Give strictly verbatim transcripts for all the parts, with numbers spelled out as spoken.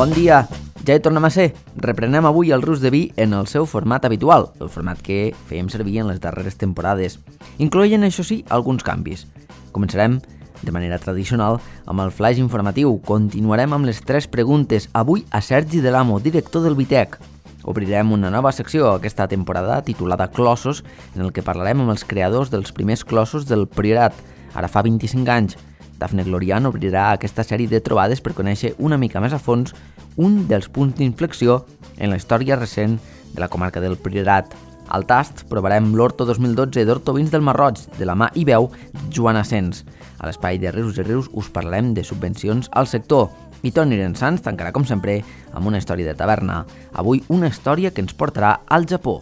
Bon dia, ja hi tornem a ser. Reprenem avui el Rus de Vi en el seu format habitual, el format que fèiem servir en les darreres temporades, incloent, això sí, alguns canvis. Començarem de manera tradicional amb el flash informatiu. Continuarem amb les tres preguntes, avui a Sergi de l'Amo, director del Vitec. Obrirem una nova secció aquesta temporada titulada Clossos, en el que parlarem amb els creadors dels primers clossos del Priorat, ara fa vint-i-cinc anys. Dafne Glorian obrirà aquesta sèrie de trobades per conèixer una mica més a fons un dels punts d'inflexió en la història recent de la comarca del Priorat. Al tast provarem l'Horto dos mil dotze d'Horto Vins del Marroig, de la mà i veu Joan Asens. A l'espai de Rius i Rius us parlarem de subvencions al sector. I Toni Rensans tancarà, com sempre, amb una història de taverna. Avui una història que ens portarà al Japó.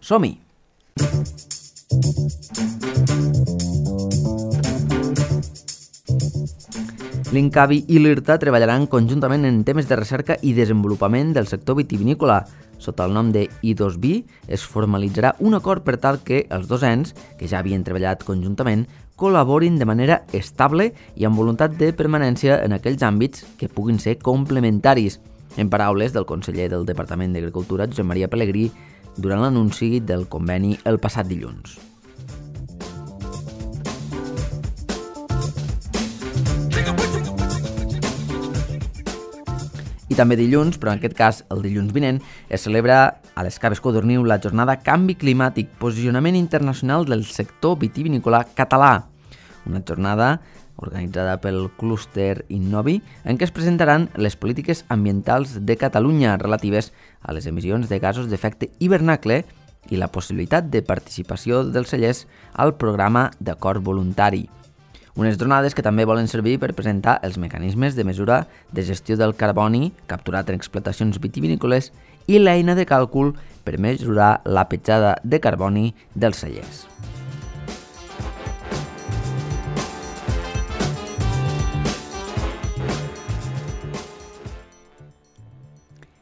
Som-hi! L'Incavi i l'IRTA treballaran conjuntament en temes de recerca i desenvolupament del sector vitivinícola. Sota el nom de I dos Vi es formalitzarà un acord per tal que els dos ens, que ja havien treballat conjuntament, col·laborin de manera estable i amb voluntat de permanència en aquells àmbits que puguin ser complementaris. En paraules del conseller del Departament d'Agricultura, Josep Maria Pelegrí, durant l'anunci del conveni el passat dilluns. I també dilluns, però en aquest cas el dilluns vinent, es celebra a les Caves Codorniu la jornada Canvi Climàtic, posicionament internacional del sector vitivinícola català. Una jornada organitzada pel clúster Innovi, en què es presentaran les polítiques ambientals de Catalunya relatives a les emissions de gasos d'efecte hivernacle i la possibilitat de participació dels cellers al programa d'acord voluntari. Unes jornades que també volen servir per presentar els mecanismes de mesura de gestió del carboni capturat en explotacions vitivinícoles i l'eina de càlcul per mesurar la petjada de carboni dels cellers.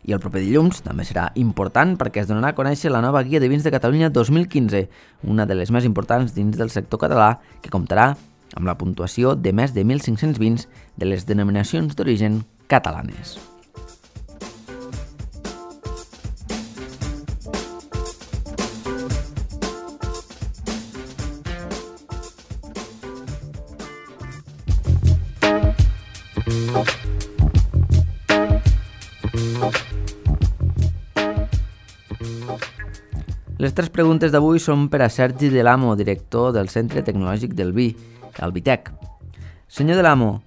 I el proper dilluns també serà important perquè es donarà a conèixer la nova Guia de Vins de Catalunya dos mil quinze, una de les més importants dins del sector català, que comptarà amb la puntuació de més de mil cinc-cents vins de les denominacions d'origen catalanes. Les tres preguntes d'avui són per a Sergi de l'Amo, director del Centre Tecnològic del Vi, el Vitec. Senyor de l'Amo,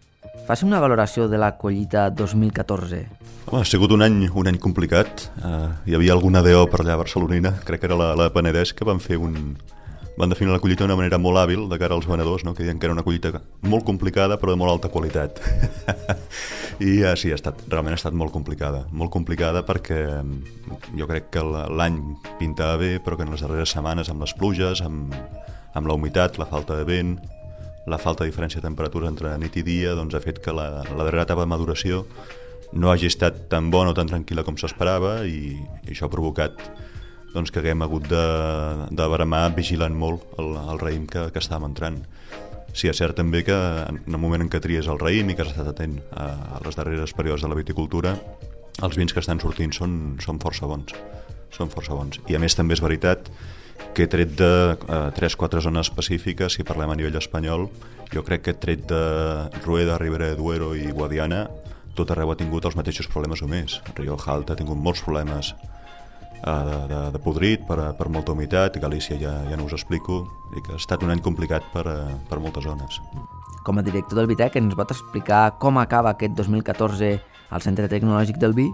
faci una valoració de la collita dos mil catorze. Home, ha sigut un any, un any complicat. Uh, hi havia alguna D O per allà a Barcelonina, crec que era la, la Penedès, que van fer un... van definir la collita d'una manera molt hàbil de cara als venedors, no? Que deien que era una collita molt complicada però de molt alta qualitat. I uh, sí, ha estat, realment ha estat molt complicada. Molt complicada perquè jo crec que l'any pintava bé, però que en les darreres setmanes, amb les pluges, amb, amb la humitat, la falta de vent, la falta de diferència de temperatura entre nit i dia, doncs ha fet que la, la darrera etapa de maduració no hagi estat tan bona o tan tranquil·la com s'esperava i, i això ha provocat doncs, que haguem hagut de, de bramar vigilant molt el, el raïm que, que estàvem entrant. Sí, és cert també que en el moment en què tries el raïm i que has estat atent a, a les darreres períodes de la viticultura, els vins que estan sortint són, són força bons. Són força bons. I a més també és veritat que he tret de eh, tres o quatre zones específiques, si parlem a nivell espanyol, jo crec que he tret de Rueda, Ribera de Duero i Guadiana, tot arreu ha tingut els mateixos problemes o més. Rioja Alta ha tingut molts problemes eh, de, de, de podrit per, per molta humitat, Galícia ja, ja no us explico, i que ha estat un any complicat per, per moltes zones. Com a director del Vitec, ens pot explicar com acaba aquest dos mil catorze al Centre Tecnològic del Vi?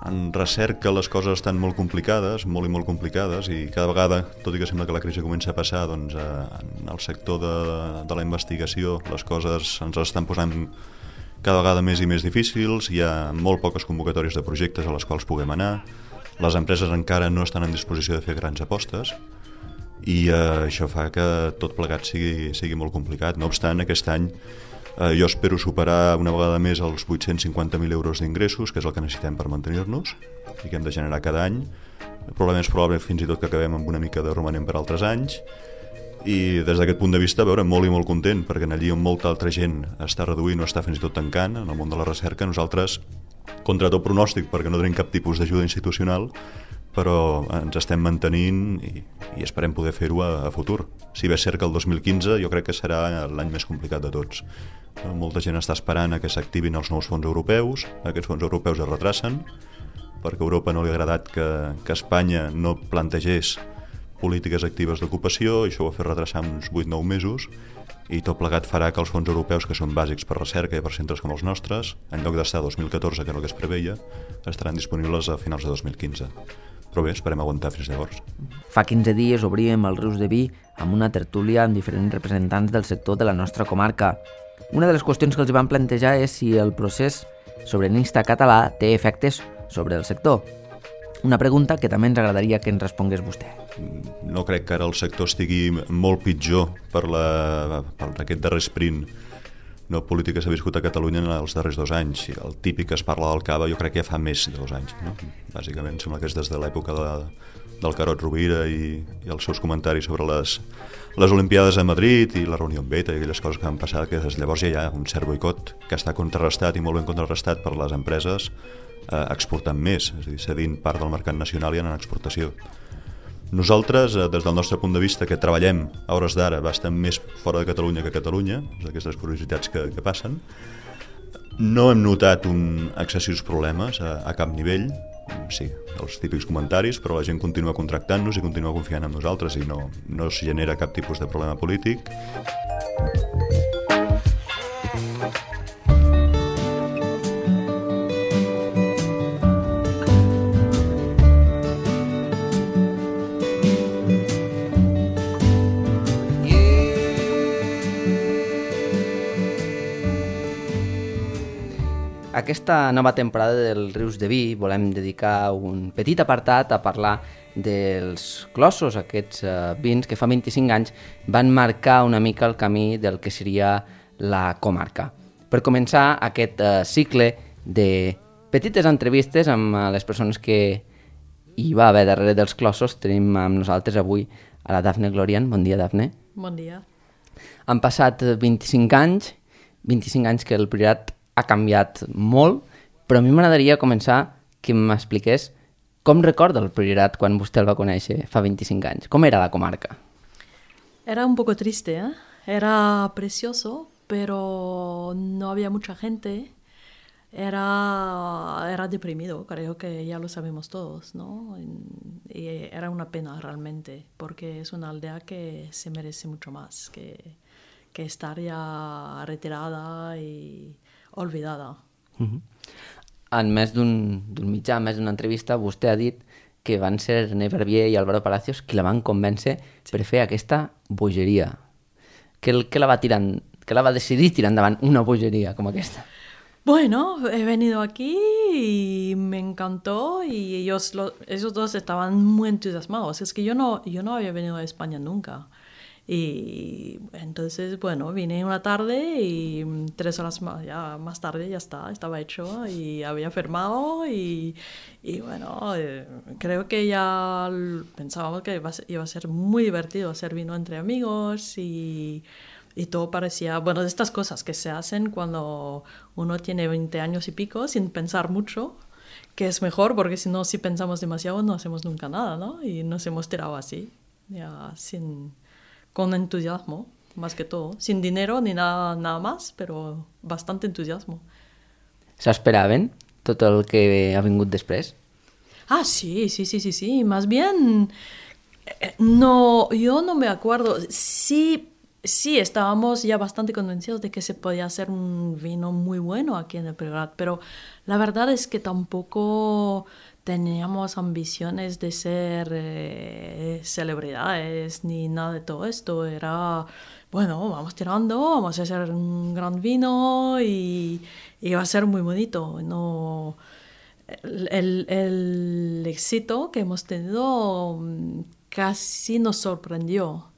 En recerca les coses estan molt complicades, molt i molt complicades, i cada vegada, tot i que sembla que la crisi comença a passar, doncs en el sector de, de la investigació les coses ens estan posant cada vegada més i més difícils, hi ha molt poques convocatòries de projectes a les quals puguem anar, les empreses encara no estan en disposició de fer grans apostes, i eh, això fa que tot plegat sigui, sigui molt complicat. No obstant, aquest any Eh, jo espero superar una vegada més els vuit-cents cinquanta mil euros d'ingressos, que és el que necessitem per mantenir-nos i que hem de generar cada any. Probablement és probable fins i tot que acabem amb una mica de romanent per altres anys, i des d'aquest punt de vista, a veure, molt i molt content, perquè allí on molta altra gent està reduint o està fins i tot tancant, en el món de la recerca, nosaltres contra tot pronòstic perquè no tenim cap tipus d'ajuda institucional, però ens estem mantenint i, i esperem poder fer-ho a, a futur. Si bé és cert que el dos mil quinze jo crec que serà l'any més complicat de tots. Molta gent està esperant a que s'activin els nous fons europeus, aquests fons europeus es retracen, perquè a Europa no li ha agradat que, que Espanya no plantegés polítiques actives d'ocupació, i això ho ha fet retrasar uns vuit nou mesos, i tot plegat farà que els fons europeus, que són bàsics per recerca i per centres com els nostres, en lloc d'estar a dos mil catorze, que és el que es preveia, estaran disponibles a finals de dos mil quinze. Però bé, esperem aguantar fins llavors. Fa quinze dies obríem el Rius de Vi amb una tertúlia amb diferents representants del sector de la nostra comarca. Una de les qüestions que els van plantejar és si el procés sobiranista català té efectes sobre el sector. Una pregunta que també ens agradaria que ens respongués vostè. No crec que ara el sector estigui molt pitjor per, la, per aquest darrer sprint no polític que s'ha viscut a Catalunya en els darrers dos anys. El típic que es parla del cava jo crec que ja fa més de dos anys. No? Bàsicament sembla que és des de l'època de, del Carod Rovira i, i els seus comentaris sobre les, les Olimpiades a Madrid i la reunió amb Beta i aquelles coses que van passar, que des de llavors ja hi ha un cert boicot que està contrarrestat i molt ben contrarrestat per les empreses eh, exportant més, és a dir, cedint part del mercat nacional i anant a exportació. Nosaltres, des del nostre punt de vista, que treballem a hores d'ara bastant més fora de Catalunya que a Catalunya, aquestes curiositats que, que passen, no hem notat un excessius problemes a, a cap nivell, sí, els típics comentaris, però la gent continua contractant-nos i continua confiant en nosaltres i no, no es genera cap tipus de problema polític. Aquesta nova temporada del Rius de Vi volem dedicar un petit apartat a parlar dels clossos, aquests uh, vins que fa vint-i-cinc anys van marcar una mica el camí del que seria la comarca. Per començar aquest uh, cicle de petites entrevistes amb uh, les persones que hi va haver darrere dels clossos, tenim amb nosaltres avui a la Dafne Glorian. Bon dia, Dafne. Bon dia. Han passat vint-i-cinc anys, vint-i-cinc anys que el Priorat ha canviat molt, però a mi m'agradaria començar que m'expliqués com recorda el Priorat quan vostè el va conèixer fa vint-i-cinc anys. Com era la comarca? Era un poco triste, ¿eh? Era precioso, pero no había mucha gente. Era, era deprimido, creo que ya lo sabemos todos, ¿no? Y era una pena realmente, porque es una aldea que se merece mucho más que, que estar ya retirada y olvidada. Uh-huh. En més d'un mitjà, en més d'una entrevista, vostè ha dit que van ser René Verbier i Álvaro Palacios qui la van convèncer sí. per fer aquesta bogeria. Què, què la va tirant, què la va decidir tirar endavant una bogeria com aquesta? Bueno, he venido aquí y me encantó y ellos, lo, ellos dos estaban muy entusiasmados. Es que yo no, yo no había venido a España nunca. Y entonces, bueno, vine una tarde y tres horas más, ya, más tarde ya está, estaba hecho y había firmado y, y bueno, eh, creo que ya pensábamos que iba a, ser, iba a ser muy divertido hacer vino entre amigos y, y todo parecía, bueno, de estas cosas que se hacen cuando uno tiene veinte años y pico sin pensar mucho, que es mejor porque si no, si pensamos demasiado no hacemos nunca nada, ¿no? Y nos hemos tirado así, ya sin... con entusiasmo, más que todo. Sin dinero ni nada, nada más, pero bastante entusiasmo. ¿S'esperaven tot el que ha vingut després? Ah, sí, sí, sí, sí, sí. Más bien, no, yo no me acuerdo. Sí, sí, estábamos ya bastante convencidos de que se podía hacer un vino muy bueno aquí en el Priorat, pero la verdad es que tampoco teníamos ambiciones de ser eh, celebridades ni nada de todo esto. Era, bueno, vamos tirando, vamos a hacer un gran vino y, y va a ser muy bonito. No, el, el, el éxito que hemos tenido casi nos sorprendió.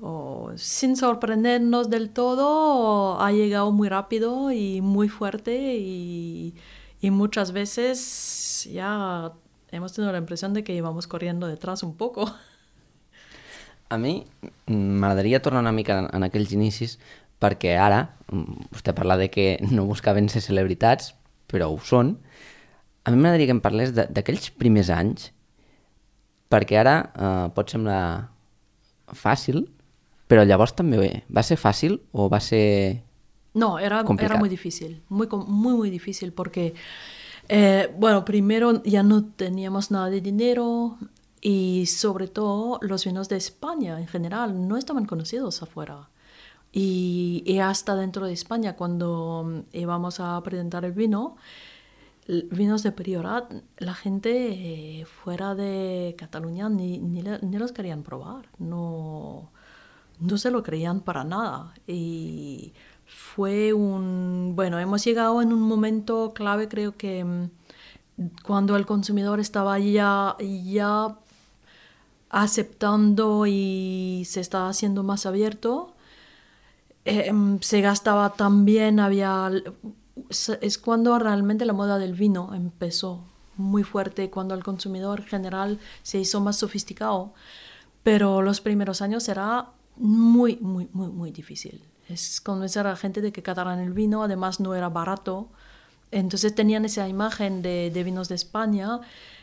O, sin sorprendernos del todo, ha llegado muy rápido y muy fuerte y... Y muchas veces ya hemos tenido la impresión de que íbamos corriendo detrás un poco. A mi m'agradaria tornar una mica en aquells inicis perquè ara vostè parla de que no buscaven ser celebritats, però ho són. A mi m'agradaria que em parlés d'aquells primers anys, perquè ara eh, pot semblar fàcil, però llavors també va ser fàcil o va ser No, era, complicado? Era muy difícil, muy, muy, muy difícil, porque, eh, bueno, primero ya no teníamos nada de dinero y sobre todo los vinos de España en general no estaban conocidos afuera. Y, y hasta dentro de España, cuando íbamos a presentar el vino, vinos de Priorat, la gente eh, fuera de Cataluña ni, ni, ni los querían probar, no, no se lo creían para nada. Y fue un... Bueno, hemos llegado en un momento clave, creo que cuando el consumidor estaba ya, ya aceptando y se estaba haciendo más abierto, eh, se gastaba también, había... Es cuando realmente la moda del vino empezó muy fuerte, cuando el consumidor general se hizo más sofisticado. Pero los primeros años era muy, muy, muy, muy difícil. Es convencer a la gente de que cataran el vino, además no era barato. Entonces tenían esa imagen de, de vinos de España,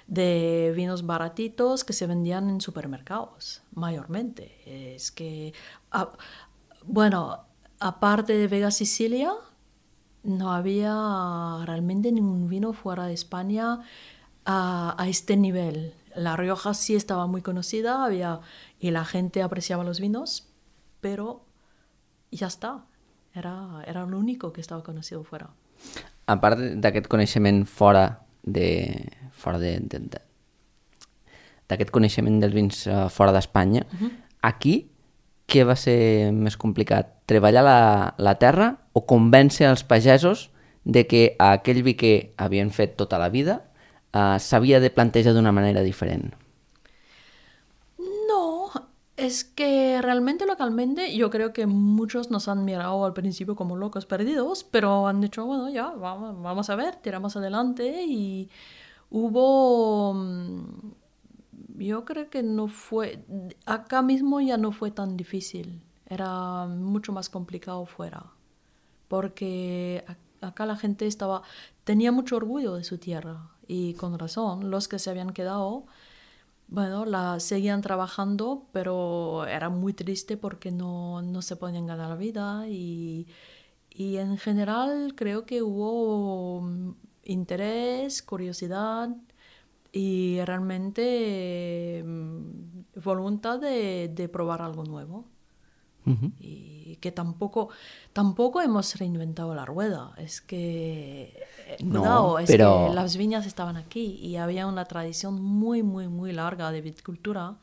de vinos baratitos que se vendían en supermercados, mayormente. Es que, ah, bueno, aparte de Vega Sicilia, no había realmente ningún vino fuera de España a, a este nivel. La Rioja sí estaba muy conocida, había, y la gente apreciaba los vinos, pero ja està. Era, era l'únic que estava conocido fuera. A part d'aquest coneixement fora de... fora de... de, de d'aquest coneixement dels vins uh, fora d'Espanya, uh-huh. Aquí, què va ser més complicat? Treballar la, la terra o convèncer els pagesos de que aquell vi que havien fet tota la vida uh, s'havia de plantejar d'una manera diferent? Es que realmente localmente yo creo que muchos nos han mirado al principio como locos perdidos, pero han dicho, bueno, ya, vamos, vamos a ver, tiramos adelante y hubo... Yo creo que no fue... Acá mismo ya no fue tan difícil, era mucho más complicado fuera, porque acá la gente estaba... tenía mucho orgullo de su tierra y con razón, los que se habían quedado... Bueno, la seguían trabajando, pero era muy triste porque no, no se podían ganar la vida y, y en general creo que hubo interés, curiosidad y realmente eh, voluntad de, de probar algo nuevo. Uh-huh. Y que tampoco, tampoco hemos reinventado la rueda. Es que, no, cuidado, es pero... que las viñas estaban aquí y había una tradición muy, muy, muy larga de viticultura.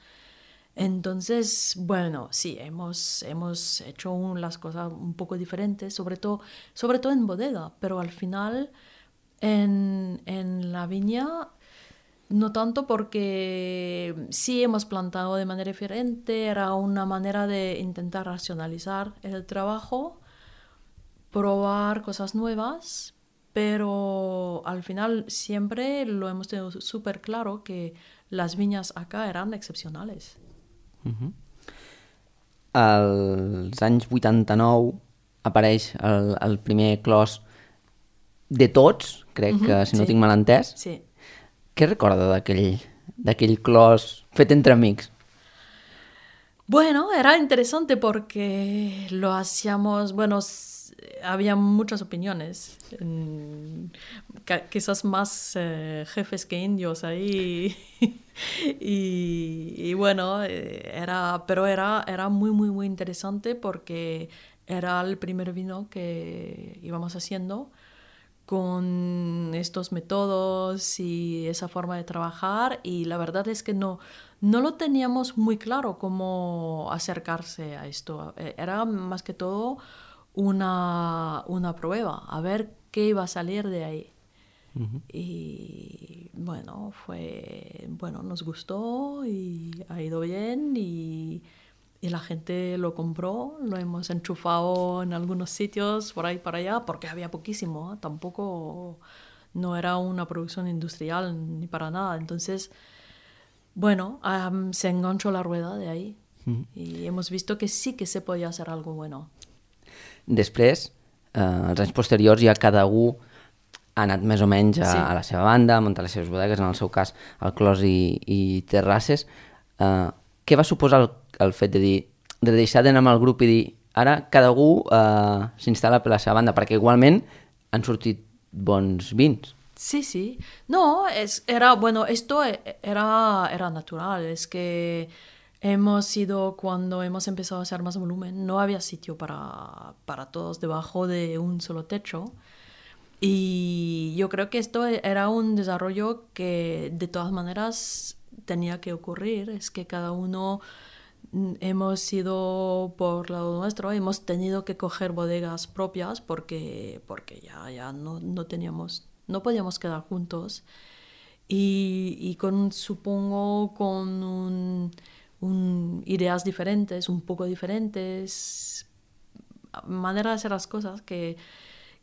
Entonces, bueno, sí, hemos, hemos hecho un, las cosas un poco diferentes, sobre todo, sobre todo en bodega, pero al final en, en la viña... No tanto porque sí hemos plantado de manera diferente, era una manera de intentar racionalizar el trabajo, probar cosas nuevas, pero al final siempre lo hemos tenido súper claro que las viñas acá eran excepcionales. Uh-huh. Als anys vuitanta-nou apareix el, el primer clos de tots, crec uh-huh, que si no sí. tinc mal entès. Sí. Què recorda d'aquell, d'aquell clos fet entre amics? Bueno, era interesante porque lo hacíamos, bueno, había muchas opiniones, quizás más eh, jefes que indios ahí, y, y bueno, era, pero era, era muy, muy, muy interesante porque era el primer vino que íbamos haciendo con estos métodos y esa forma de trabajar, y la verdad es que no, no lo teníamos muy claro cómo acercarse a esto. Era más que todo una, una prueba, a ver qué iba a salir de ahí. Uh-huh. Y bueno, fue, bueno, nos gustó y ha ido bien y... Y la gente lo compró, lo hemos enchufado en algunos sitios por ahí para allá, porque había poquísimo, ¿eh? Tampoco no era una producción industrial ni para nada. Entonces, bueno, um, se enganchó la rueda de ahí mm. y hemos visto que sí que se podía hacer algo bueno. Després, eh, als anys posteriors, ja cada un ha anat més o menys a, Sí. a la seva banda, a muntar les seves bodegues, en el seu cas al Clos i, i Terrasses. Uh, què va suposar el, el fet de dir, de deixar d'anar amb el grup i dir ara cada un uh, s'instal·la per la seva banda, perquè igualment han sortit bons vins. Sí, sí. No, es, era, bueno, esto e- era, era natural. Es que hemos ido, cuando hemos empezado a hacer más volumen, no había sitio para, para todos debajo de un solo techo. Y yo creo que esto e- era un desarrollo que de todas maneras tenía que ocurrir. Es que cada uno mm, hemos ido por lado nuestro, hemos tenido que coger bodegas propias porque, porque ya, ya no, no teníamos, no podíamos quedar juntos. Y, y con, supongo, con un, un- ideas diferentes, un poco diferentes, manera de hacer las cosas que,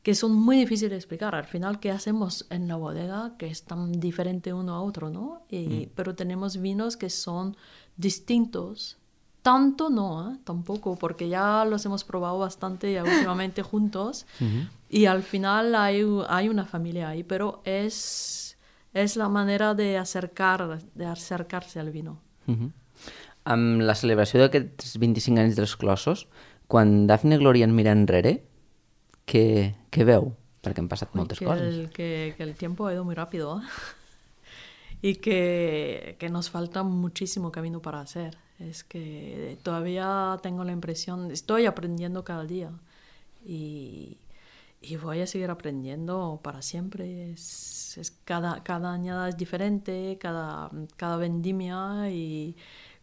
que son muy difíciles de explicar. Al final, ¿qué hacemos en la bodega que es tan diferente uno a otro, ¿no? Y, Pero tenemos vinos que son distintos. Tanto no, ¿eh? Tampoco, porque ya los hemos probado bastante ya últimamente juntos. Y al final hay, hay una familia ahí, pero es, es la manera de, acercar, de acercarse al vino. Uh-huh. Amb la celebració d'aquests vint-i-cinc anys dels Clossos, quan Dafne Glòria en mira enrere, què, què veu? Perquè han passat Uy, moltes que coses. el, que, que el tiempo ha ido muy rápido, ¿eh? Y que, que nos falta muchísimo camino para hacer. Es que todavía tengo la impresión, estoy aprendiendo cada día y, y voy a seguir aprendiendo para siempre. Es, es cada, cada añada es diferente, cada, cada vendimia, y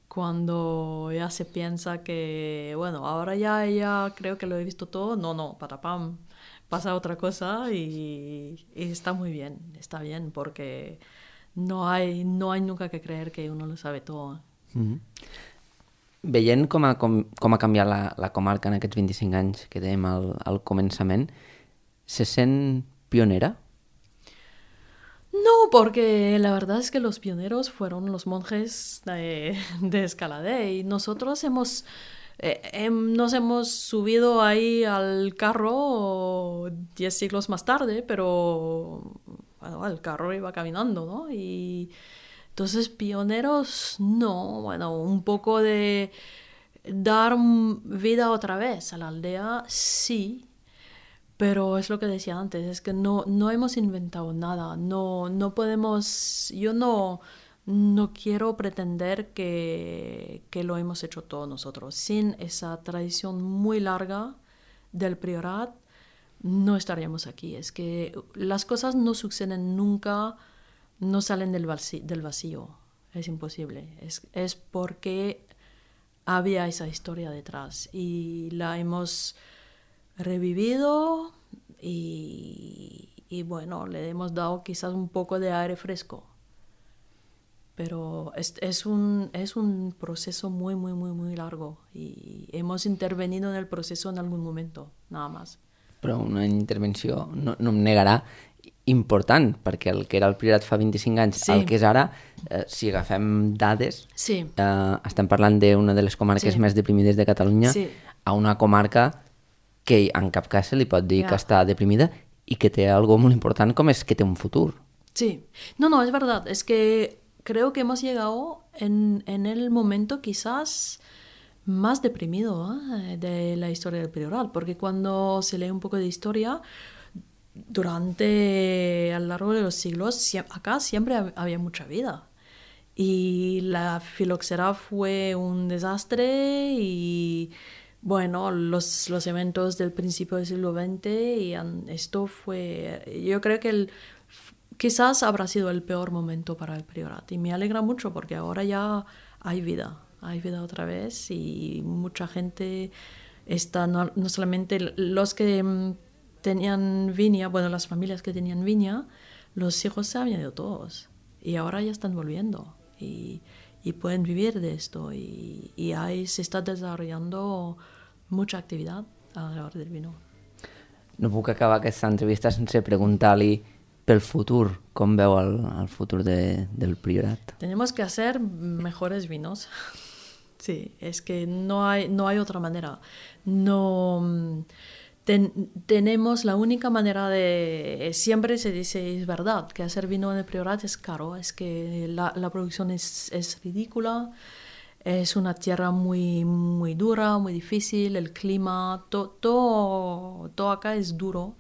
cuando ya se piensa que, bueno, ahora ya, ya creo que lo he visto todo, no, no, patapam, pasa otra cosa y, y está muy bien, está bien, porque no hay, no hay nunca que creer que uno lo sabe todo. Mm-hmm. Veient com ha, com, com ha canviat la, la comarca en aquests vint-i-cinc anys que dèiem al, al començament, se sent pionera? No, porque la verdad es que los pioneros fueron los monjes de, de Escaladé, y nosotros hemos, eh, hem- nos hemos subido ahí al carro diez siglos más tarde, pero bueno, el carro iba caminando, ¿no? Y entonces pioneros, no, bueno, un poco de dar mm, vida otra vez a la aldea, sí. Pero es lo que decía antes, es que no, no hemos inventado nada, no, no podemos, yo no, no quiero pretender que, que lo hemos hecho todos nosotros. Sin esa tradición muy larga del priorat, no estaríamos aquí. Es que las cosas no suceden nunca, no salen del vacío, del vacío. Es imposible. Es, es porque había esa historia detrás y la hemos revivido y, y bueno, le hemos dado quizás un poco de aire fresco. Pero es, es, un, es un proceso muy, muy, muy, muy largo y hemos intervenido en el proceso en algún momento, nada más. Però una intervenció, no, no em negarà, important, perquè el que era el Priorat fa vint-i-cinc anys, Sí. el que és ara, eh, si agafem dades, Sí. eh, estem parlant d'una de les comarques Sí. més deprimides de Catalunya, Sí. a una comarca que en cap cas se li pot dir Ja. que està deprimida i que té algo molt important, com és que té un futur. Sí, no, no, es verdad, es que creo que hemos llegado en, en el momento quizás más deprimido, ¿eh? de la historia del Priorat, porque cuando se lee un poco de historia, durante, a lo largo de los siglos, sie- acá siempre hab- había mucha vida. Y la filoxera fue un desastre y, bueno, los, los eventos del principio del siglo veinte, y han- esto fue, yo creo que el, quizás habrá sido el peor momento para el Priorat. Y me alegra mucho porque ahora ya hay vida, hay vida otra vez y mucha gente está, no, no solamente los que mm, tenían viña, bueno, las familias que tenían viña, los hijos se habían ido todos y ahora ya están volviendo y, y pueden vivir de esto y, y ahí se está desarrollando mucha actividad alrededor del vino. No puc acabar aquesta entrevista sense preguntar-li pel futur, com veu el, el futur de, del Priorat. Tenemos que hacer mejores vinos. Sí, es que no hay, no hay otra manera. No, ten, tenemos la única manera de... Siempre se dice, es verdad, que hacer vino en el Priorat es caro, es que la, la producción es, es ridícula, es una tierra muy, muy dura, muy difícil, el clima, to, todo, todo acá es duro.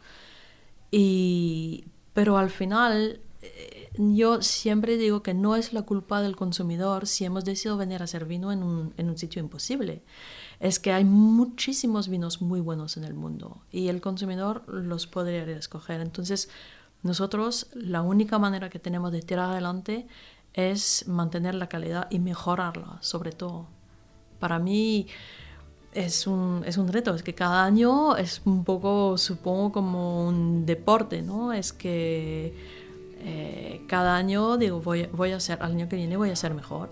Y, pero al final, eh, yo siempre digo que no es la culpa del consumidor si hemos decidido venir a hacer vino en un, en un sitio imposible. Es que hay muchísimos vinos muy buenos en el mundo y el consumidor los podría escoger. Entonces, nosotros la única manera que tenemos de tirar adelante es mantener la calidad y mejorarla, sobre todo. Para mí es un, es un reto, es que cada año es un poco, supongo, como un deporte, ¿no? Es que eh, cada año digo, voy, voy a ser, al año que viene voy a ser mejor,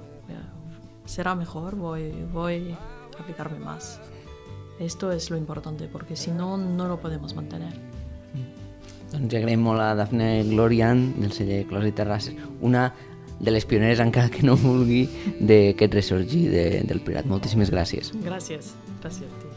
será mejor, voy, voy a aplicarme más. Esto es lo importante, porque si no, no lo podemos mantener. Doncs agraïm molt a Dafne Glorian, del celler Clos i Terrasses, una de les pioneres, encara que no vulgui, d'aquest ressorgir de, del Priorat. Moltíssimes gràcies. Gràcies, gràcies a ti.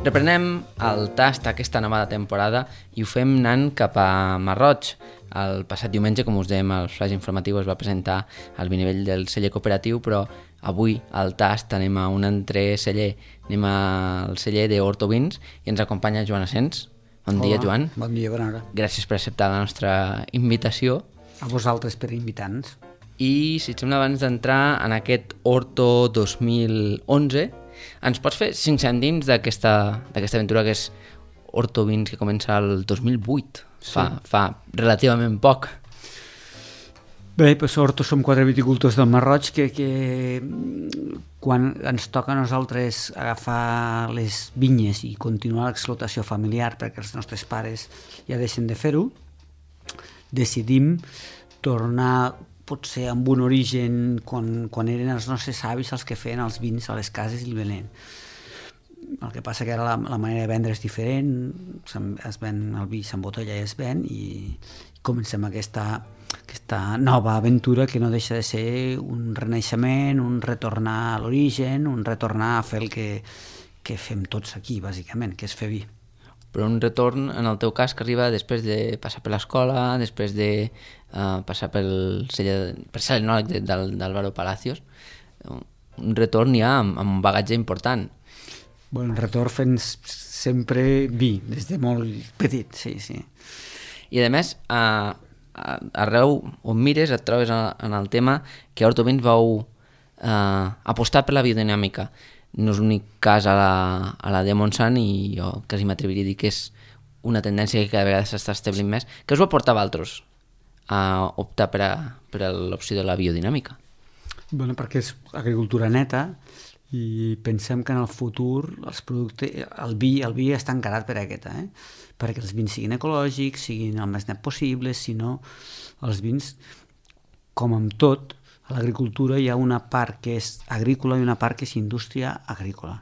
Reprenem el tast aquesta nova temporada i ho fem anant cap a Marroig. El passat diumenge, com us dèiem, el flash informatiu es va presentar al vinivell del celler cooperatiu, però avui al tast anem a un altre celler, anem al celler d'Horto Vins i ens acompanya Joan Asens. Bon Hola, dia, Joan. Bon dia, bona hora. Gràcies per acceptar la nostra invitació. A vosaltres per invitar-nos. I si et sembla, abans d'entrar en aquest Horto dos mil onze, ens pots fer cinc cèntims d'aquesta aventura que és Horto Vins, que comença el dos mil vuit, sí. fa, fa relativament poc. Bé, doncs Horto som quatre viticultors del Marroig que, que quan ens toca a nosaltres agafar les vinyes i continuar l'explotació familiar perquè els nostres pares ja deixen de fer-ho, decidim tornar potser amb un origen quan, quan eren els nostres avis els que feien els vins a les cases i el venent. El que passa que ara la, la manera de vendre és diferent, es ven, el vi s'embotella i es ven, i comencem aquesta, aquesta nova aventura que no deixa de ser un renaixement, un retornar a l'origen, un retornar a fer el que, que fem tots aquí, bàsicament, que és fer vi. Però un retorn, en el teu cas, que arriba després de passar per l'escola, després de uh, passar pel celler, per ser l'enòleg de, del, d'Álvaro Palacios, un retorn ja amb, amb un bagatge important. Bueno, un retorn fent sempre vi, des de molt petit, sí, sí. I a més, uh, arreu on mires et trobes en el tema que a Horto Vins vau uh, apostar per la biodinàmica. No és l'únic cas a la, a la de Montsant i jo quasi m'atreviria a dir que és una tendència que cada vegada s'està establint més. Què us va portar a vosaltres a optar per, a, per a l'opció de la biodinàmica? Bueno, perquè és agricultura neta i pensem que en el futur els productes, el vi, el vi està encarat per aquesta, eh? Perquè els vins siguin ecològics, siguin el més net possible, si no els vins, com amb tot, a l'agricultura hi ha una part que és agrícola i una part que és indústria agrícola.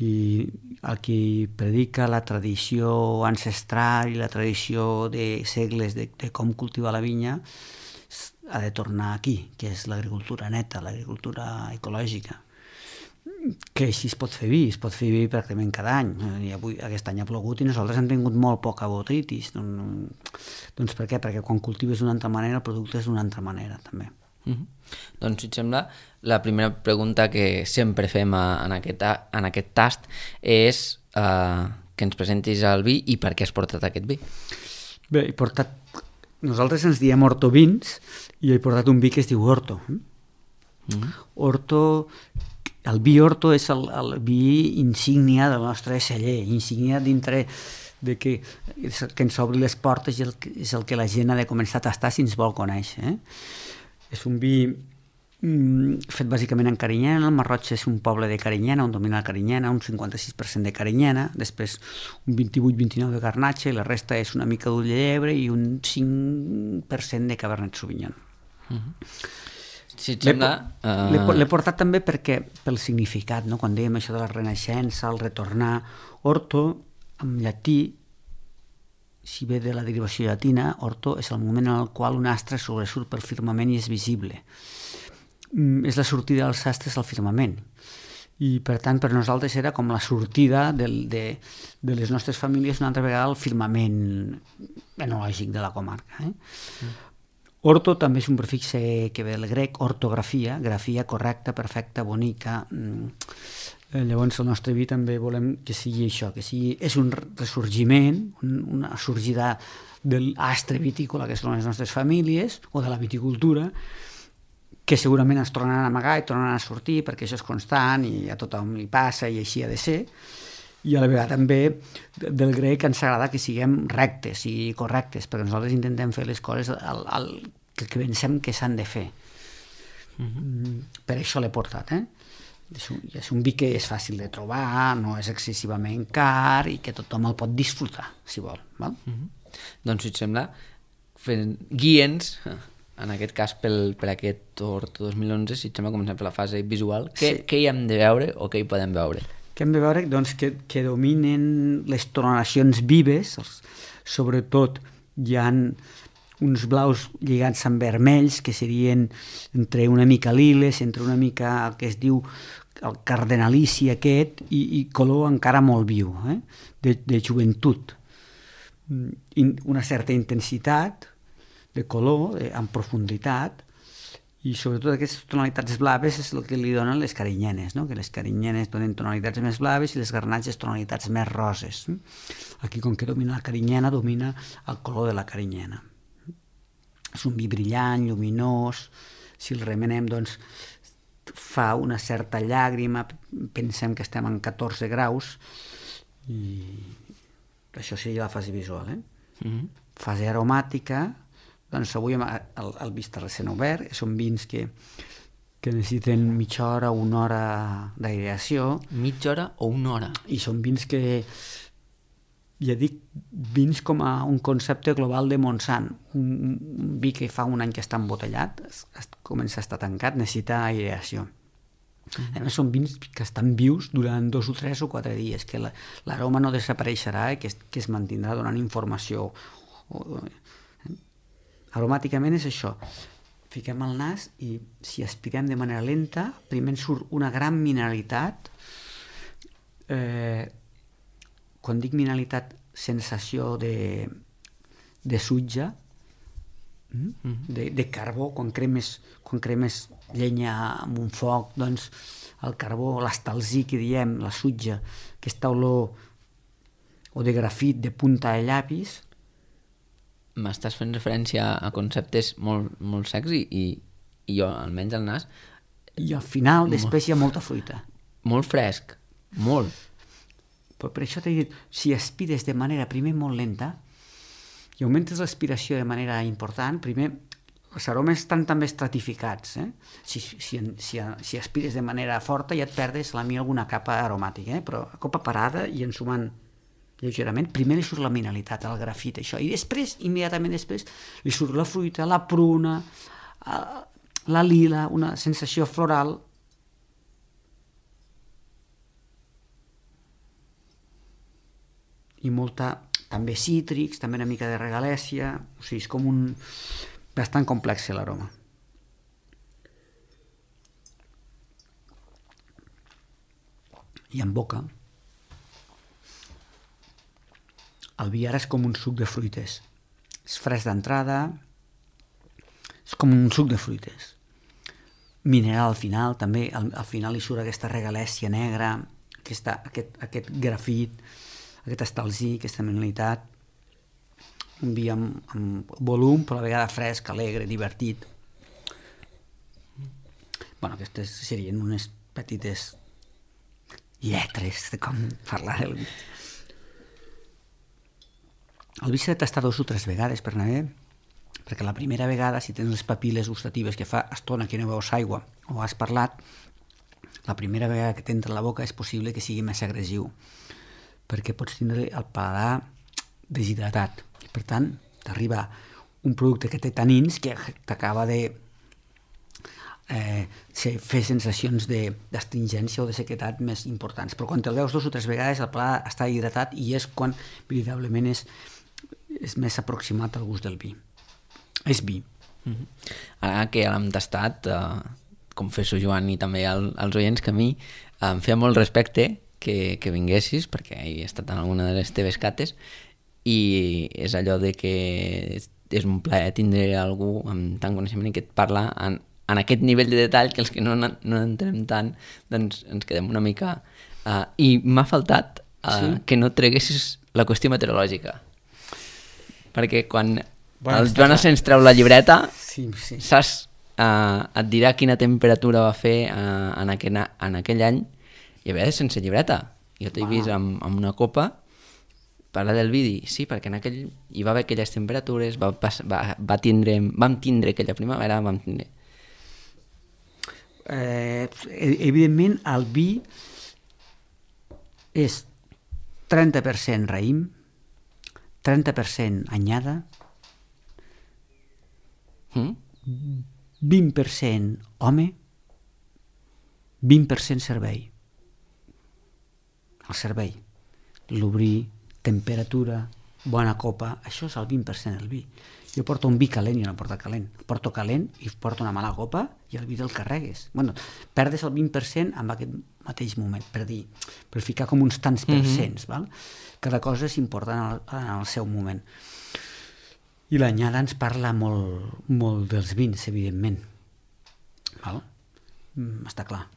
I el qui predica la tradició ancestral i la tradició de segles de, de com cultivar la vinya ha de tornar aquí, que és l'agricultura neta, l'agricultura ecològica. Que així es pot fer vi, es pot fer vi pràcticament cada any. I avui, aquest any ha plogut i nosaltres hem tingut molt poca botritis. Doncs per què? Perquè quan cultives d'una altra manera el producte és d'una altra manera també. Mm-hmm. Doncs si et sembla, la primera pregunta que sempre fem a, en, aquest, en aquest tast és uh, que ens presentis el vi i per què has portat aquest vi. Bé, he portat... Nosaltres ens diem Horto Vins i he portat un vi que es diu Horto. Mm-hmm. Horto... El vi Horto és el, el vi insígnia del nostre celler, insígnia dintre de que, que ens obri les portes i el, és el que la gent ha de començar a tastar si ens vol conèixer. Eh? És un vi mm, fet bàsicament en Carinyena. El Marroig és un poble de Carinyena, on domina la Carinyena, un cinquanta-sis per cent de Carinyena, després un vint-i-vuit vint i nou de Garnatxa i la resta és una mica d'ull de llebre i un cinc per cent de Cabernet Sauvignon. Uh-huh. si et sembla... L'he uh... l'he portat també perquè, pel significat, no? Quan dèiem això de la renaixença, el retornar, orto, en llatí, si ve de la derivació llatina, orto és el moment en el qual un astre sobresurt pel firmament i és visible. Mm, és la sortida dels astres al firmament. I, per tant, per nosaltres era com la sortida del, de, de les nostres famílies una altra vegada al firmament enològic de la comarca. Eh? Mm. Orto també és un prefix que ve del grec, ortografia, grafia correcta, perfecta, bonica. Llavors el nostre vi també volem que sigui això, que sigui, és un ressorgiment, una sorgida de l'astre vitícola que són les nostres famílies, o de la viticultura, que segurament ens tornaran a amagar i tornaran a sortir perquè això és constant i a tothom li passa i així ha de ser. I a la vegada també del grec ens agrada que siguem rectes i correctes, perquè nosaltres intentem fer les coses al, al, que pensem que s'han de fer. Mm-hmm. Per això l'he portat, eh? És un, és un vi que és fàcil de trobar, no és excessivament car i que tothom el pot disfrutar, si vol. Val? Mm-hmm. Doncs, si et sembla, fent... guia'ns, en aquest cas pel, per aquest Orto dos mil onze, si et sembla, comencem per la fase visual. Què, sí. Què hi hem de veure o què hi podem veure? Que hem de veure doncs, que, que dominen les tonacions vives, sobretot hi ha uns blaus lligats amb vermells que serien entre una mica liles, entre una mica el que es diu el cardenalici aquest i, i color encara molt viu, eh? de, de joventut. Una certa intensitat de color, de, en profunditat, i sobretot aquestes tonalitats blaves és el que li donen les carinyenes, no? Que les carinyenes donen tonalitats més blaves i les garnatges tonalitats més roses. Aquí, com que domina la carinyena, domina el color de la carinyena. És un vi brillant, lluminós, si el remenem, doncs, fa una certa llàgrima, pensem que estem en catorze graus, i això seria la fase visual, eh? Mm-hmm. Fase aromàtica, doncs avui el, el vi està recent obert, són vins que, que necessiten mitja hora o una hora d'aireació. Mitja hora o una hora? I són vins que, ja dic, vins com a un concepte global de Montsant. Un, un vi que fa un any que està embotellat, es, es, comença a estar tancat, necessita aireació. Mm-hmm. A més, són vins que estan vius durant dos o tres o quatre dies, que la, l'aroma no desapareixerà i que es, que es mantindrà donant informació. O, aromàticament és això, fiquem el nas i si aspirem de manera lenta, primer surt una gran mineralitat, eh, quan dic mineralitat, sensació de, de sutge, de, de carbó, quan cremes, quan cremes llenya amb un foc, doncs el carbó, l'estalzí que diem, la sutge, aquesta olor o de grafit de punta de llapis. M'estàs fent referència a conceptes molt, molt secs i, i, i jo, almenys al nas... I al final, després hi ha molta fruita. Molt fresc, molt. Però per això t'he dit, si aspires de manera primer molt lenta i augmentes l'aspiració de manera important, primer els aromes estan també estratificats. Eh? Si, si, si, si aspires de manera forta ja et perdes a mi alguna capa aromàtica, eh? Però a copa parada i ensumant lleugerament, primer li surt la mineralitat, el grafit, això, i després, immediatament després, li surt la fruita, la pruna, la lila, una sensació floral. I molta, també cítrics, també una mica de regalèsia, o sigui, és com un... bastant complex l'aroma. I en boca, el vi ara és com un suc de fruites. És fresc d'entrada, és com un suc de fruites. Mineral al final, també, al, al final hi surt aquesta regalèsia negra, aquesta, aquest, aquest grafit, aquest estalzí, aquesta mineralitat. Un vi amb, amb volum, però a la vegada fresc, alegre, divertit. Bueno, aquestes serien unes petites lletres de com parlar del vi. El vi s'ha de tastar dos o tres vegades per anar bé, perquè la primera vegada, si tens les papil·les gustatives que fa estona que no veus aigua o has parlat, la primera vegada que t'entra a la boca és possible que sigui més agressiu, perquè pots tindre el paladar deshidratat. Per tant, t'arriba un producte que té tanins que t'acaba de eh, fer sensacions d'astringència o de sequetat més importants. Però quan te'l veus dos o tres vegades, el pla està hidratat i és quan, veritablement, és, és més aproximat al gust del vi. És vi. Mm-hmm. Ara que l'hem tastat, eh, confesso, Joan, i també al, als oients, que a mi em feia molt respecte que, que vinguessis, perquè he estat en alguna de les teves cates, i és allò de que és un plaer tindre algú amb tant coneixement i que et parla en, en aquest nivell de detall que els que no, no entrem tant doncs ens quedem una mica... Uh, I m'ha faltat uh, sí. que no treguessis la qüestió meteorològica. Perquè quan bueno, el Joan Asens treu la llibreta, sí, sí. saps, uh, et dirà quina temperatura va fer uh, en, aquell, en aquell any, i a vegades sense llibreta. Jo t'he wow. vist amb, amb una copa parlar del vidi, sí, perquè en aquell hi va haver aquelles temperatures, va, va, va tindre, vam tindre aquella primavera, vam tindre... Eh, evidentment, el vi és trenta per cent raïm, trenta per cent anyada, mm? vint per cent home, vint per cent servei. El servei, l'obrir, temperatura, bona copa, això és el vint per cent del vi. Jo porto un vi calent i no porto calent. Porto calent i porto una mala copa i el vi te'l carregues. Bueno, perdes el vint per cent en aquest mateix moment, per dir, per ficar com uns tants per cents, mm-hmm. val? Cada cosa és important en el, en el seu moment. I l'anyada ens parla molt, molt dels vins, evidentment. Val? Mm, està clar.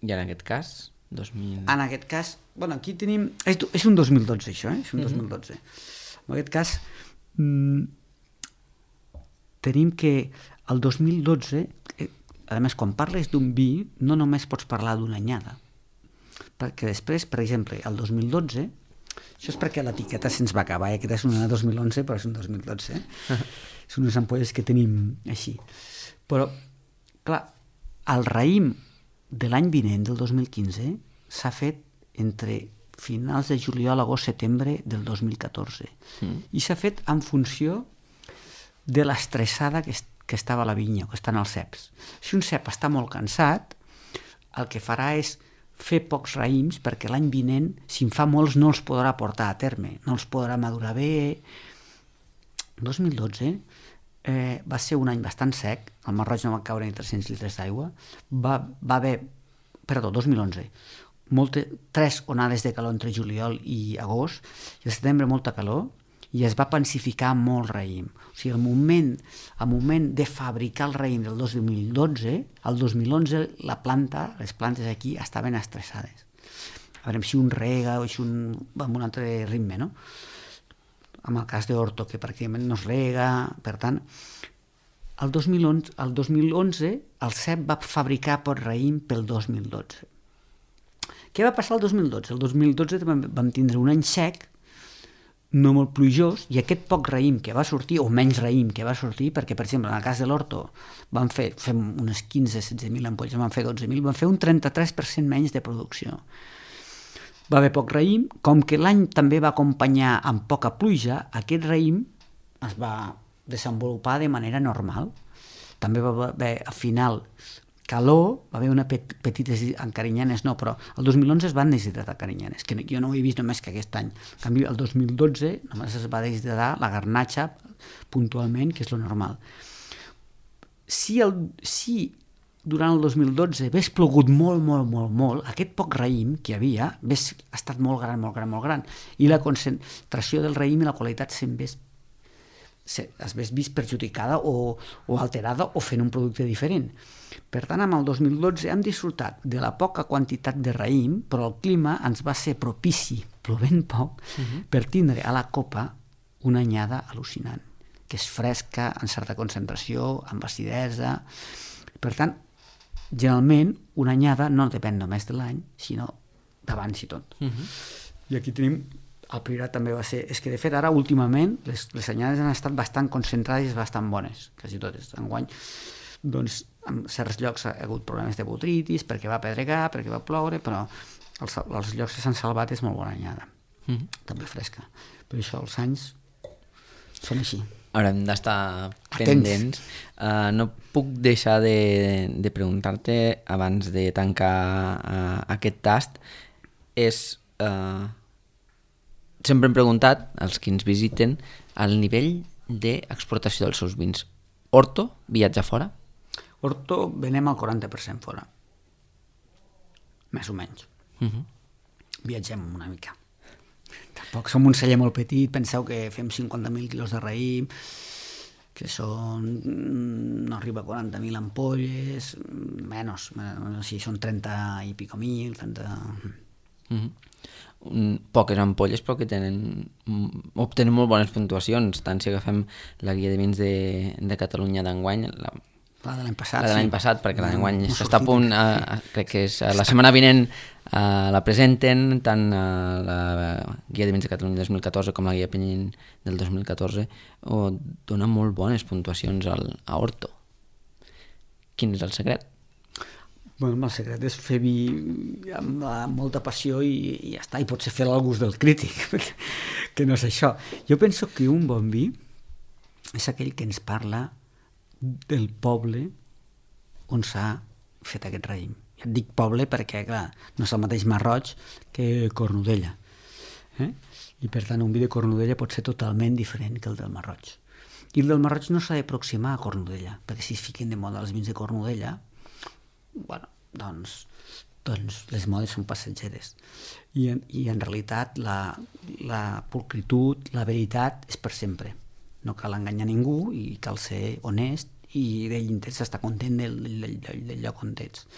I en aquest cas... dos mil... En aquest cas, bueno, aquí tenim... És, és un dos mil dotze, això, eh? És un mm-hmm. dos mil dotze. En aquest cas, mmm, tenim que el dos mil dotze, eh, a més, quan parles d'un vi, no només pots parlar d'una anyada. Perquè després, per exemple, el dos mil dotze, això és perquè l'etiqueta se'ns va acabar, eh? Aquesta és una dos mil onze, però és un dos mil dotze. Eh? Són unes ampolles que tenim així. Però, clar, el raïm de l'any vinent, del dos mil quinze, s'ha fet entre finals de juliol, agost, setembre del dos mil catorze. Mm. I s'ha fet en funció de l'estressada que, est que estava a la vinya, que estan els ceps. Si un cep està molt cansat, el que farà és fer pocs raïms, perquè l'any vinent, si en fa molts, no els podrà portar a terme, no els podrà madurar bé. dos mil dotze Eh, va ser un any bastant sec, al Mar Roig no va caure ni tres-cents litres d'aigua, va, va haver, perdó, dos mil onze, molte, tres onades de calor entre juliol i agost, i al setembre molta calor, i es va pensificar molt raïm. O sigui, el moment, el moment de fabricar el raïm del dos mil dotze, el dos mil onze la planta, les plantes aquí estaven estressades. A veure si un rega o si un va amb un altre ritme, no? Amb el cas d'Horto, que pràcticament no es rega, per tant, el dos mil onze, el dos mil onze el cep va fabricar pot raïm pel dos mil dotze. Què va passar el dos mil dotze? El dos mil dotze vam tindre un any sec, no molt plujós, i aquest poc raïm que va sortir, o menys raïm que va sortir, perquè, per exemple, en el cas de l'Horto, vam fer, fem unes quinze a setze mil ampolles, vam fer dotze mil, vam fer un trenta-tres per cent menys de producció. Va haver poc raïm, com que l'any també va acompanyar amb poca pluja, aquest raïm es va desenvolupar de manera normal. També va haver, al final, calor, va haver una pet petites encarinyanes, no, però el dos mil onze es van deshidratar carinyanes, que jo no ho he vist només que aquest any. En canvi, el dos mil dotze només es va deshidratar la garnatxa puntualment, que és lo normal. Si, el, si durant el dos mil dotze hagués plogut molt, molt, molt, molt, aquest poc raïm que hi havia hagués estat molt gran, molt gran, molt gran, i la concentració del raïm i la qualitat s'hagués vist perjudicada o, o alterada o fent un producte diferent. Per tant, amb el dos mil dotze hem disfrutat de la poca quantitat de raïm, però el clima ens va ser propici, plovent poc, uh-huh. per tindre a la copa una anyada al·lucinant, que és fresca, en certa concentració, amb acidesa. Per tant, generalment, una anyada no depèn només de l'any, sinó d'abans i tot. Uh-huh. I aquí tenim, el priorat també va ser, és que de fet ara últimament les, les anyades han estat bastant concentrades i bastant bones, quasi totes. Enguany, doncs, en certs llocs ha hagut problemes de botritis, perquè va pedregar, perquè va ploure, però els, els llocs que s'han salvat és molt bona anyada, uh-huh. també fresca. Per això els anys són així. Haurem d'estar pendents. Uh, no puc deixar de, de preguntar-te, abans de tancar uh, aquest tast, és... Uh, sempre hem preguntat, als que ens visiten, el nivell d'exportació dels seus vins. Horto viatja fora? Horto venem al quaranta per cent fora. Més o menys. Uh-huh. Viatgem una mica. Tampoc som un celler molt petit, penseu que fem cinquanta mil quilos de raïm, que són, no arriba a quaranta mil ampolles, menys, no sé, són trenta i pico mil, trenta... Uh-huh. Poques ampolles però que tenen, obtenen molt bones puntuacions, tant si agafem la guia de vins de, de Catalunya d'enguany, la, la de l'any passat, la de l'any sí. passat, perquè no, l'enguany no s'està a punt, a, crec que és a la setmana vinent, Uh, la presenten tant a la guia de vins de Catalunya dos mil catorze com la guia Penyín del dos mil catorze, o dona molt bones puntuacions al, a Horto. Quin és el secret? Bueno, el secret és fer vi amb, amb molta passió i, i ja està, i potser fer-lo al gust del crític, que no és això. Jo penso que un bon vi és aquell que ens parla del poble on s'ha fet aquest raïm. Et dic poble perquè, clar, no és el mateix Masroig que Cornudella. Eh? I, per tant, un vi de Cornudella pot ser totalment diferent que el del Masroig. I el del Masroig no s'ha d'aproximar a Cornudella, perquè si es fiquen de moda els vins de Cornudella, bueno, doncs, doncs les modes són passatgeres. I, en, i en realitat la, la pulcritud, la veritat és per sempre. No cal enganyar ningú i cal ser honest i d'ell intents estar content del, del, del, del lloc on ets.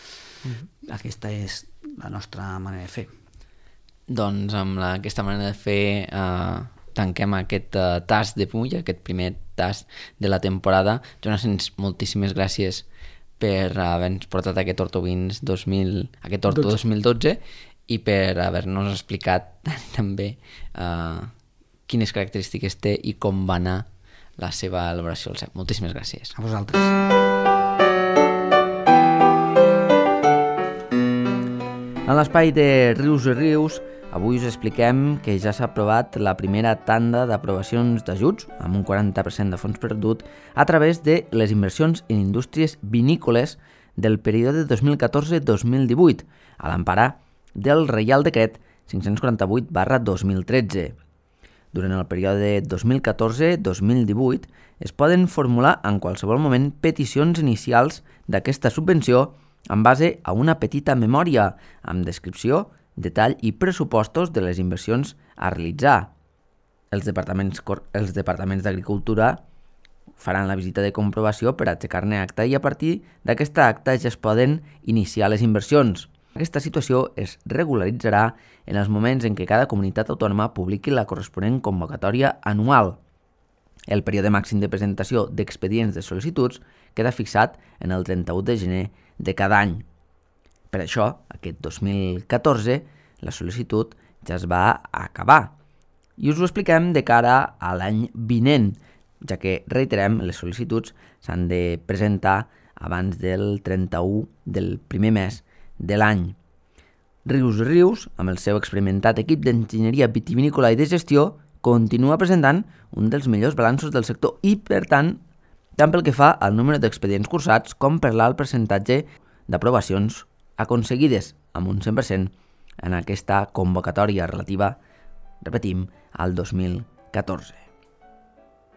Mm-hmm. Aquesta és la nostra manera de fer. Doncs amb la, aquesta manera de fer eh, tanquem aquest eh, tast de Puig, aquest primer tast de la temporada. Jonas, moltíssimes gràcies per haver-nos portat aquest Horto Vins dos mil, aquest Horto dos mil dotze i per haver-nos explicat també eh, quines característiques té i com va anar la seva elaboració al cep. Moltíssimes gràcies. A vosaltres. En l'espai de Rius i Rius, avui us expliquem que ja s'ha aprovat la primera tanda d'aprovacions d'ajuts, amb un quaranta per cent de fons perdut, a través de les inversions en indústries vinícoles del període dos mil catorze a dos mil divuit, a l'empara del Reial Decret cinc-cents quaranta-vuit barra dos mil tretze. Durant el període dos mil catorze a dos mil divuit es poden formular en qualsevol moment peticions inicials d'aquesta subvenció en base a una petita memòria amb descripció, detall i pressupostos de les inversions a realitzar. Els departaments, els departaments d'Agricultura faran la visita de comprovació per aixecar-ne acta i a partir d'aquesta acta ja es poden iniciar les inversions. Aquesta situació es regularitzarà en els moments en què cada comunitat autònoma publiqui la corresponent convocatòria anual. El període màxim de presentació d'expedients de sol·licituds queda fixat en el trenta-u de gener de cada any. Per això, aquest dos mil catorze, la sol·licitud ja es va acabar. I us ho expliquem de cara a l'any vinent, ja que, reiterem, les sol·licituds s'han de presentar abans del trenta-u del primer mes de l'any. Rius i Rius, amb el seu experimentat equip d'enginyeria vitivinícola i de gestió, continua presentant un dels millors balanços del sector i, per tant, tant pel que fa al número d'expedients cursats com per l'alt percentatge d'aprovacions aconseguides, amb un cent per cent en aquesta convocatòria relativa, repetim, al dos mil catorze.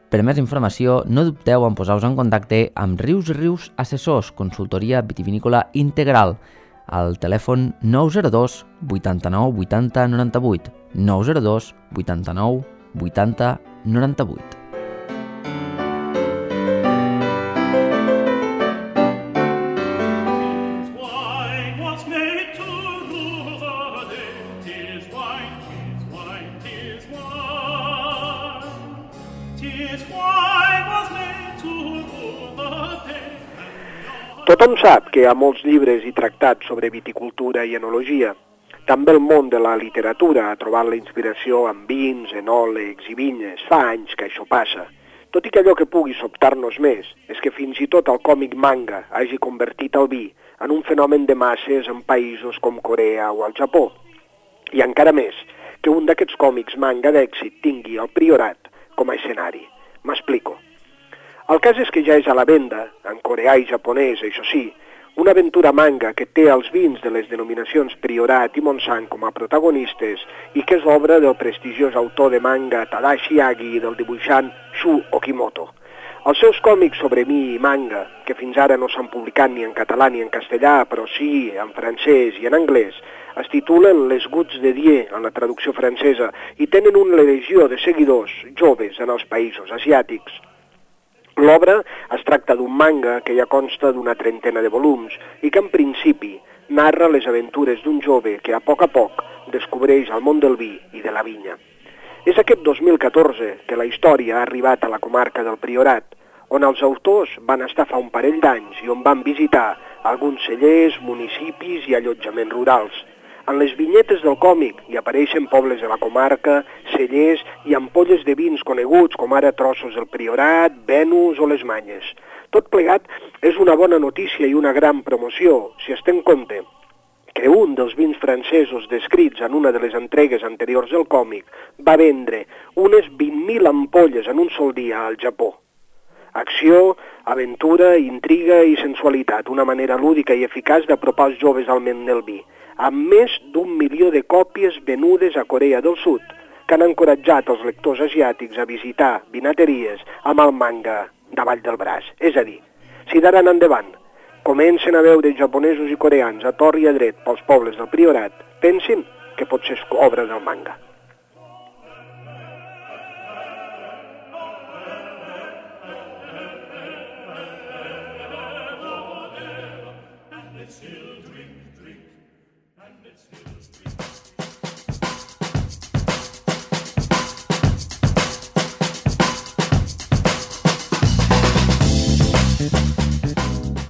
Per més informació, no dubteu en posar-vos en contacte amb Rius i Rius Assessors, consultoria vitivinícola integral, al telèfon nou zero dos vuitanta-nou vuitanta noranta-vuit, nou zero dos vuitanta-nou vuitanta noranta-vuit. Tothom sap que hi ha molts llibres i tractats sobre viticultura i enologia. També el món de la literatura ha trobat la inspiració en vins, enòlegs i vinyes. Fa anys que això passa. Tot i que allò que pugui sobtar-nos més és que fins i tot el còmic manga hagi convertit el vi en un fenomen de masses en països com Corea o el Japó. I encara més, que un d'aquests còmics manga d'èxit tingui el Priorat com a escenari. M'explico. El cas és que ja és a la venda, en coreà i japonès, això sí, una aventura manga que té els vins de les denominacions Priorat i Montsant com a protagonistes i que és obra del prestigiós autor de manga Tadashi Agi i del dibuixant Shu Okimoto. Els seus còmics sobre mi i manga, que fins ara no s'han publicat ni en català ni en castellà, però sí en francès i en anglès, es titulen Les Gouttes de Dieu en la traducció francesa i tenen una legió de seguidors joves en els països asiàtics. L'obra es tracta d'un manga que ja consta d'una trentena de volums i que en principi narra les aventures d'un jove que a poc a poc descobreix el món del vi i de la vinya. És aquest dos mil catorze que la història ha arribat a la comarca del Priorat, on els autors van estar fa un parell d'anys i on van visitar alguns cellers, municipis i allotjaments rurals. En les vinyetes del còmic hi apareixen pobles de la comarca, cellers i ampolles de vins coneguts com ara Trossos del Priorat, Venus o les Manyes. Tot plegat és una bona notícia i una gran promoció, si es té en compte que un dels vins francesos descrits en una de les entregues anteriors del còmic va vendre unes vint mil ampolles en un sol dia al Japó. Acció, aventura, intriga i sensualitat, una manera lúdica i eficaç d'apropar els joves al món del vi, amb més d'un milió de còpies venudes a Corea del Sud, que han encoratjat els lectors asiàtics a visitar vinateries amb el manga davall del braç. És a dir, si d'ara en endavant comencen a veure japonesos i coreans a tor i a dret pels pobles del Priorat, pensin que potser és obra del manga.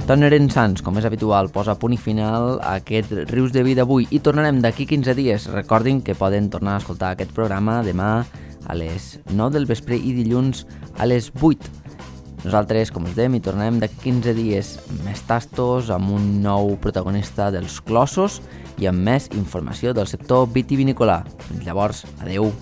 Toneren Sans, com és habitual, posa punt i final a aquest Rius de Vi d'avui i tornarem d'aquí quinze dies. Recordin que poden tornar a escoltar aquest programa demà a les nou del vespre i dilluns a les vuit. Nosaltres, com us dèiem, hi tornarem d'aquí quinze dies més tastos, amb un nou protagonista dels clossos i amb més informació del sector vitivinícola. Fins llavors, adeu.